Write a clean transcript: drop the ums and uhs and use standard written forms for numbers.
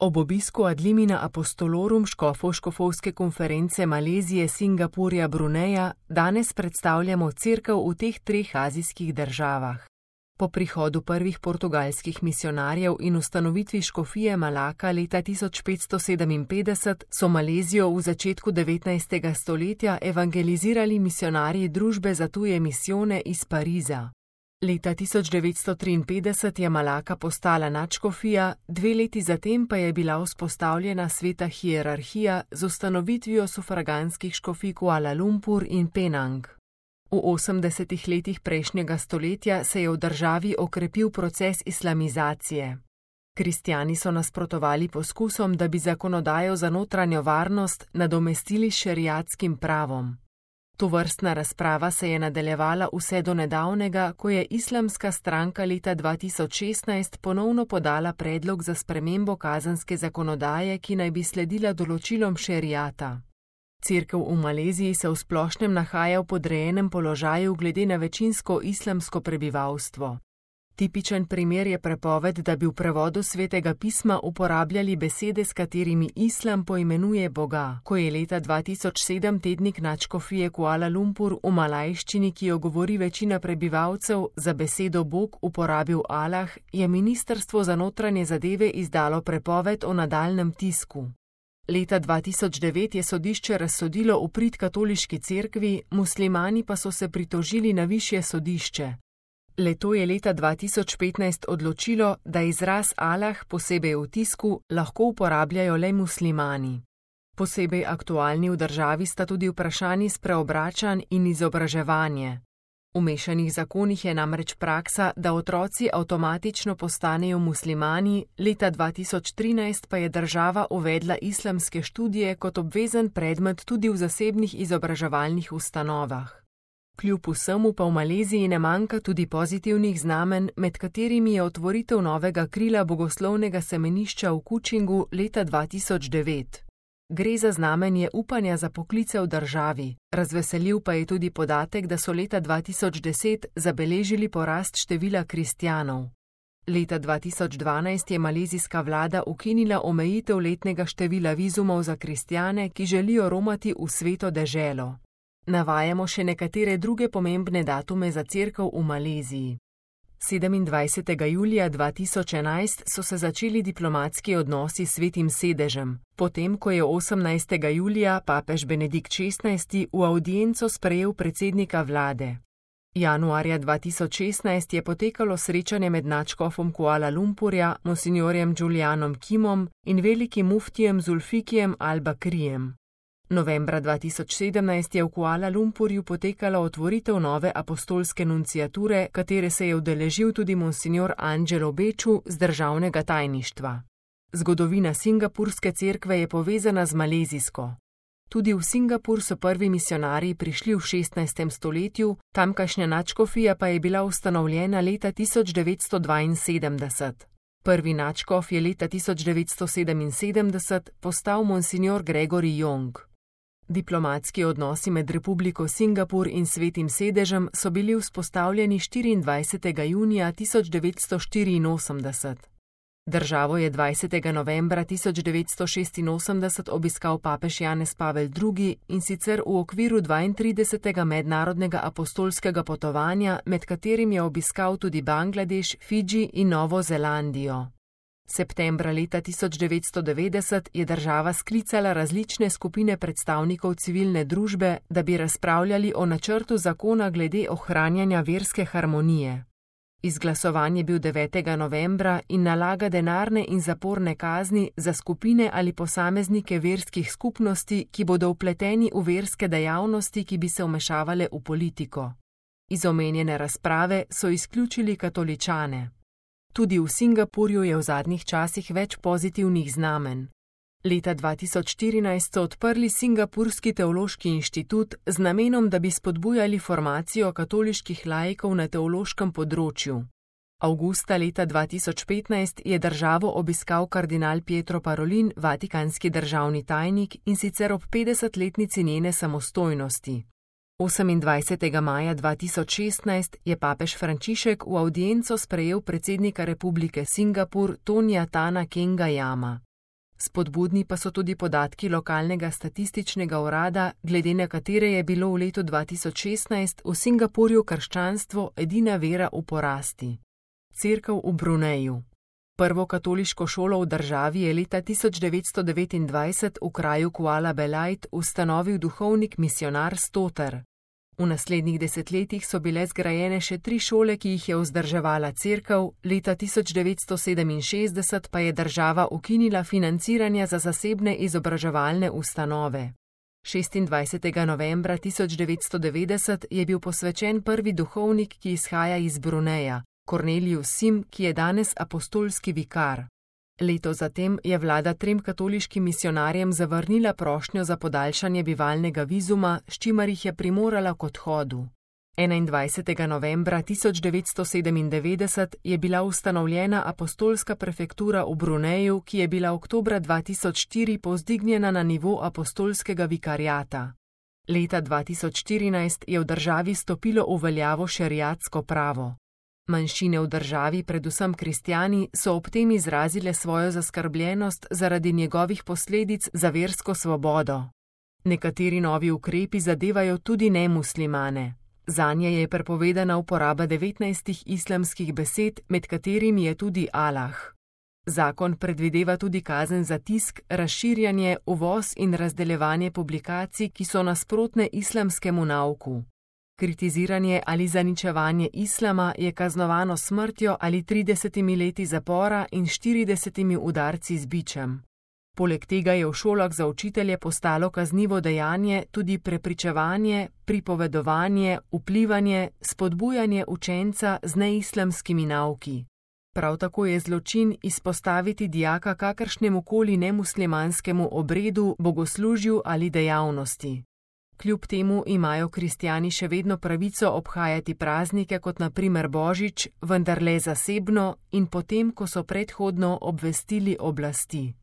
Ob obisku ad limina apostolorum škofovske konference Malezije, Singapurja, Bruneja danes predstavljamo cerkev v teh treh azijskih državah. Po prihodu prvih portugalskih misionarjev in ustanovitvi škofije Malaka leta 1557 so Malezijo v začetku 19. stoletja evangelizirali misionarji Družbe za tuje misijone iz Pariza. Leta 1953 je Malaka postala nadškofija, 2 leti zatem pa je bila vzpostavljena sveta hierarhija z ustanovitvijo sufraganskih škofij Kuala Lumpur in Penang. V 80. letih prejšnjega stoletja se je v državi okrepil proces islamizacije. Kristjani so nasprotovali poskusom, da bi zakonodajo za notranjo varnost nadomestili s šeriatskim pravom. Tovrstna razprava se je nadaljevala vse do nedavnega, ko je islamska stranka leta 2016 ponovno podala predlog za spremembo kazenske zakonodaje, ki naj bi sledila določilom šeriata. Cerkev v Maleziji se v splošnem nahaja v podrejenem položaju glede na večinsko islamsko prebivalstvo. Tipičen primer je prepoved, da bi v prevodu svetega pisma uporabljali besede, s katerimi islam poimenuje Boga. Ko je leta 2007 tednik nadškofije Kuala Lumpur v malajščini, ki jo govori večina prebivalcev, za besedo Bog uporabil Allah, je Ministrstvo za notranje zadeve izdalo prepoved o nadaljnjem tisku. Leta 2009 je sodišče razsodilo v prid katoliški cerkvi, muslimani pa so se pritožili na višje sodišče. Le-to je leta 2015 odločilo, da izraz Allah, posebej v tisku, lahko uporabljajo le muslimani. Posebej aktualni v državi sta tudi vprašanji spreobračanj in izobraževanje. V mešanih zakonih je namreč praksa, da otroci avtomatično postanejo muslimani, leta 2013 pa je država uvedla islamske študije kot obvezen predmet tudi v zasebnih izobraževalnih ustanovah. Kljub vsemu pa v Maleziji ne manjka tudi pozitivnih znamenj, med katerimi je otvoritev novega krila bogoslovnega semenišča v Kučingu leta 2009. Gre za znamenje upanja za poklice v državi, razveseljiv pa je tudi podatek, da so leta 2010 zabeležili porast števila kristjanov. Leta 2012 je malezijska vlada ukinila omejitev letnega števila vizumov za kristjane, ki želijo romati v sveto deželo. Navajamo še nekatere druge pomembne datume za cerkev v Maleziji. 27. julija 2011 so se začeli diplomatski odnosi s Svetim sedežem, potem ko je 18. julija papež Benedikt XVI v avdienco sprejel predsednika vlade. Januarja 2016 je potekalo srečanje med nadškofom Kuala Lumpurja, monsinjorjem Julianom Kimom in velikim muftijem Zulfikijem al-Bakrijem. Novembra 2017 je v Kuala Lumpurju potekala otvoritev nove apostolske nunciature, katere se je udeležil tudi monsinjor Angelo Beču z državnega tajništva. Zgodovina singapurske cerkve je povezana z malezijsko. Tudi v Singapur so prvi misionarji prišli v 16. stoletju, tamkajšnja nadškofija pa je bila ustanovljena leta 1972. Prvi nadškof je leta 1977 postal monsinjor Gregory Yong. Diplomatski odnosi med Republiko Singapur in Svetim sedežem so bili vzpostavljeni 24. junija 1984. Državo je 20. novembra 1986 obiskal papež Janez Pavel II. In sicer v okviru 32. mednarodnega apostolskega potovanja, med katerim je obiskal tudi Bangladeš, Fidži in Novo Zelandijo. Septembra leta 1990 je država sklicala različne skupine predstavnikov civilne družbe, da bi razpravljali o načrtu zakona glede ohranjanja verske harmonije. Izglasovan je bil 9. novembra in nalaga denarne in zaporne kazni za skupine ali posameznike verskih skupnosti, ki bodo vpleteni v verske dejavnosti, ki bi se vmešavale v politiko. Iz omenjene razprave so izključili katoličane. Tudi v Singapurju je v zadnjih časih več pozitivnih znamenj. Leta 2014 so odprli Singapurski teološki inštitut z namenom, da bi spodbujali formacijo katoliških laikov na teološkem področju. Avgusta leta 2015 je državo obiskal kardinal Pietro Parolin, vatikanski državni tajnik, in sicer ob 50-letnici njene samostojnosti. 28. maja 2016 je papež Frančišek v avdienco sprejel predsednika Republike Singapur Tonija Tana Kengajama. Spodbudni pa so tudi podatki lokalnega statističnega urada, glede na katere je bilo v letu 2016 v Singapurju krščanstvo edina vera v porasti. Cerkev v Bruneju. Prvo katoliško šolo v državi je leta 1929 v kraju Kuala Belait ustanovil duhovnik misionar Stoter. V naslednjih desetletjih so bile zgrajene še 3 šole, ki jih je vzdrževala cerkev, leta 1967 pa je država ukinila financiranja za zasebne izobraževalne ustanove. 26. novembra 1990 je bil posvečen prvi duhovnik, ki izhaja iz Bruneja, Cornelius Sim, ki je danes apostolski vikar. Leto zatem je vlada 3 katoliškim misionarjem zavrnila prošnjo za podaljšanje bivalnega vizuma, s čimer jih je primorala k odhodu. 21. novembra 1997 je bila ustanovljena apostolska prefektura v Bruneju, ki je bila oktobra 2004 povzdignjena na nivo apostolskega vikariata. Leta 2014 je v državi stopilo v veljavo šeriatsko pravo. Manjšine v državi, predvsem kristjani, so ob tem izrazile svojo zaskrbljenost zaradi njegovih posledic za versko svobodo. Nekateri novi ukrepi zadevajo tudi nemuslimane. Zanje je prepovedana uporaba 19 islamskih besed, med katerimi je tudi Allah. Zakon predvideva tudi kazen za tisk, razširjanje, uvoz in razdeljevanje publikacij, ki so nasprotne islamskemu nauku. Kritiziranje ali zaničevanje islama je kaznovano smrtjo ali 30 leti zapora in 40 udarci z bičem. Poleg tega je v šolah za učitelje postalo kaznivo dejanje tudi prepričevanje, pripovedovanje, vplivanje, spodbujanje učenca z neislamskimi nauki. Prav tako je zločin izpostaviti dijaka kakršnemukoli nemuslimanskemu obredu, bogoslužju ali dejavnosti. Kljub temu imajo kristjani še vedno pravico obhajati praznike kot na primer Božič, vendar le zasebno in potem, ko so predhodno obvestili oblasti.